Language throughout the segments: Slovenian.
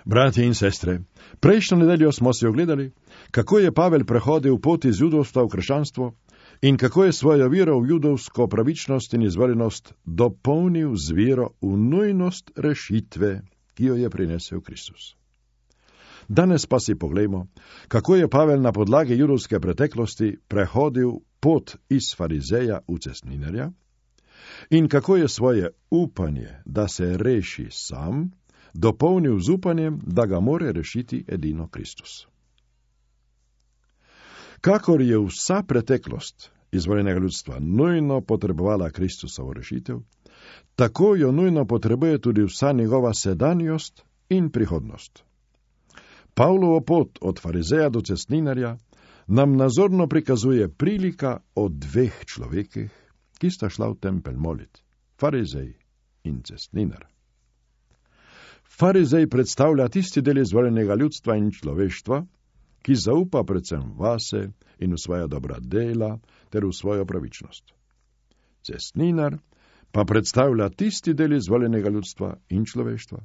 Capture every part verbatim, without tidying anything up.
Bratje in sestre, prejšnjo nedeljo smo si ogledali, kako je Pavel prehodil pot iz judovstva v krščanstvo in kako je svojo vero v judovsko pravičnost in izvoljenost dopolnil z vero v nujnost rešitve, ki jo je prinesel Kristus. Danes pa si poglejmo, kako je Pavel na podlagi judovske preteklosti prehodil pot iz farizeja v cestninarja in kako je svoje upanje, da se reši sam, dopolnil z upanjem, da ga more rešiti edino Kristus. Kakor je vsa preteklost izvoljenega ljudstva nujno potrebovala Kristusovo rešitev, tako jo nujno potrebuje tudi vsa njegova sedanjost in prihodnost. Pavlovo pot od farizeja do cestninarja nam nazorno prikazuje prilika o dveh človekih, ki sta šla v tempelj molit, farizej in cestninar. Farizej predstavlja tisti del izvoljenega ljudstva in človeštva, ki zaupa predvsem vase in v svoja dobra dela ter v svojo pravičnost. Cestninar pa predstavlja tisti del izvoljenega ljudstva in človeštva,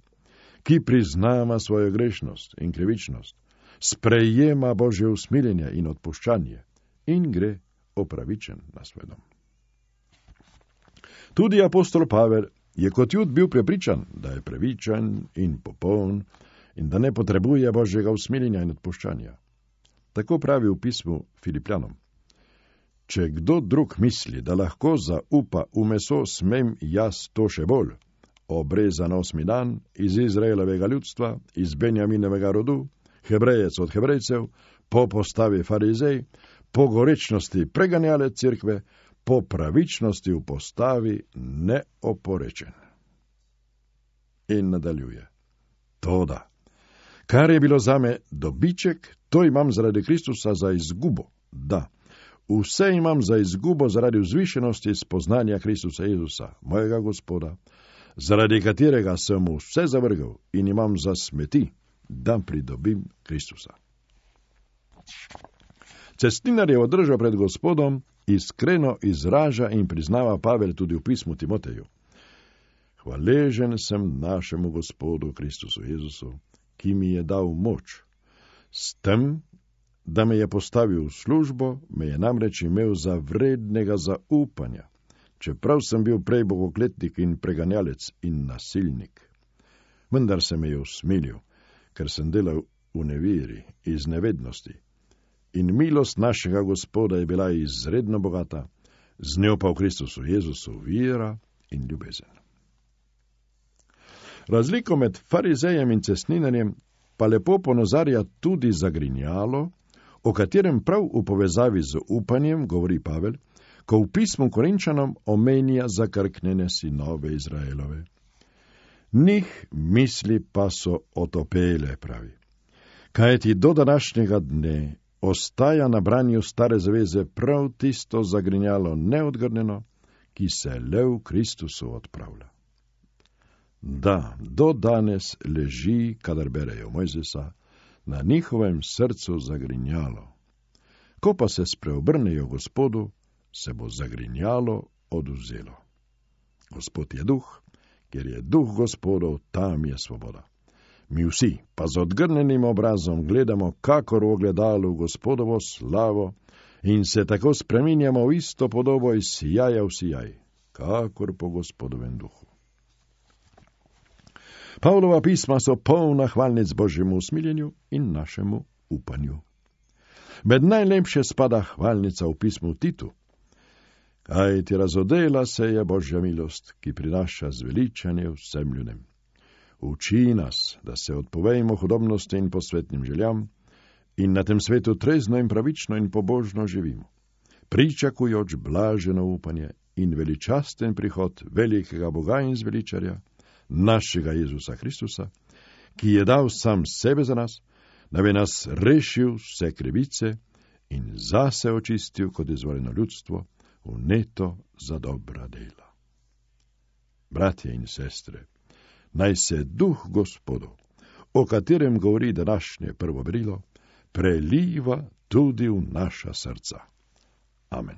ki priznava svojo grešnost in krivičnost, sprejema Božje usmiljenje in odpuščanje in gre opravičen na svoj dom. Tudi apostol Pavel je kot Jud bil prepričan, da je pravičen in popoln in da ne potrebuje Božjega usmiljenja in odpuščanja. Tako pravi v pismu Filipljanom. Če kdo drug misli, da lahko zaupa v meso, smem jaz to še bolj, obrezan osmi dan, iz Izraelovega ljudstva, iz Benjaminovega rodu, Hebrejec od Hebrejcev, po postavi farizej, po gorečnosti preganjalec cerkve, po pravičnosti v postavi neoporečen. In nadaljuje. Toda, kar je bilo zame dobiček, to imam zaradi Kristusa za izgubo. Da, vse imam za izgubo zaradi vzvišenosti spoznanja Kristusa Jezusa, mojega Gospoda, zaradi katerega sem vse zavrgel in imam za smeti, da pridobim Kristusa. Cestninarjevo držo pred Gospodom iskreno izraža in priznava Pavel tudi v pismu Timoteju. Hvaležen sem našemu Gospodu Kristusu Jezusu, ki mi je dal moč. S tem, da me je postavil v službo, me je namreč imel za vrednega zaupanja, čeprav sem bil prej bogokletnik in preganjalec in nasilnik. Vendar se me je usmilil, ker sem delal v neveri, iz nevednosti. In milost našega Gospoda je bila izredno bogata, z njo pa v Kristusu Jezusu vira in ljubezen. Razliko med farizejem in cestninarjem pa lepo ponazarja tudi zagrinjalo, o katerem prav v povezavi z upanjem govori Pavel, ko v pismu Korinčanom omenja zakrknjene sinove Izraelove. Njih misli pa so otopele, pravi. Kajti do današnjega dne ostaja na branju stare zaveze prav tisto zagrinjalo neodgrnjeno, ki se le v Kristusu odpravlja. Da, do danes leži, kadar berejo Mojzesa, na njihovem srcu zagrinjalo. Ko pa se spreobrnejo Gospodu, se bo zagrinjalo odvzelo. Gospod je duh, ker je duh Gospodov, tam je svoboda. Mi vsi pa z odgrnenim obrazom gledamo kakor v ogledalu Gospodovo slavo in se tako spreminjamo v isto podobo iz sijaja v sijaj, kakor po Gospodovem duhu. Pavlova pisma so polna hvalnic Božjemu usmiljenju in našemu upanju. Med najlepše spada hvalnica v pismu Titu. Kaj ti razodela se je Božja milost, ki prinaša zveličanje vsem ljudem. Uči nas, da se odpovejmo hudobnosti in posvetnim željam in na tem svetu trezno in pravično in pobožno živimo, pričakujoč blaženo upanje in veličasten prihod velikega Boga in zveličarja, našega Jezusa Kristusa, ki je dal sam sebe za nas, da bi nas rešil vse krivice in zase očistil kot izvoljeno ljudstvo, vneto za dobra dela. Bratje in sestre, naj se duh Gospodov, o katerem govori današnje prvo berilo, preliva tudi v naša srca. Amen.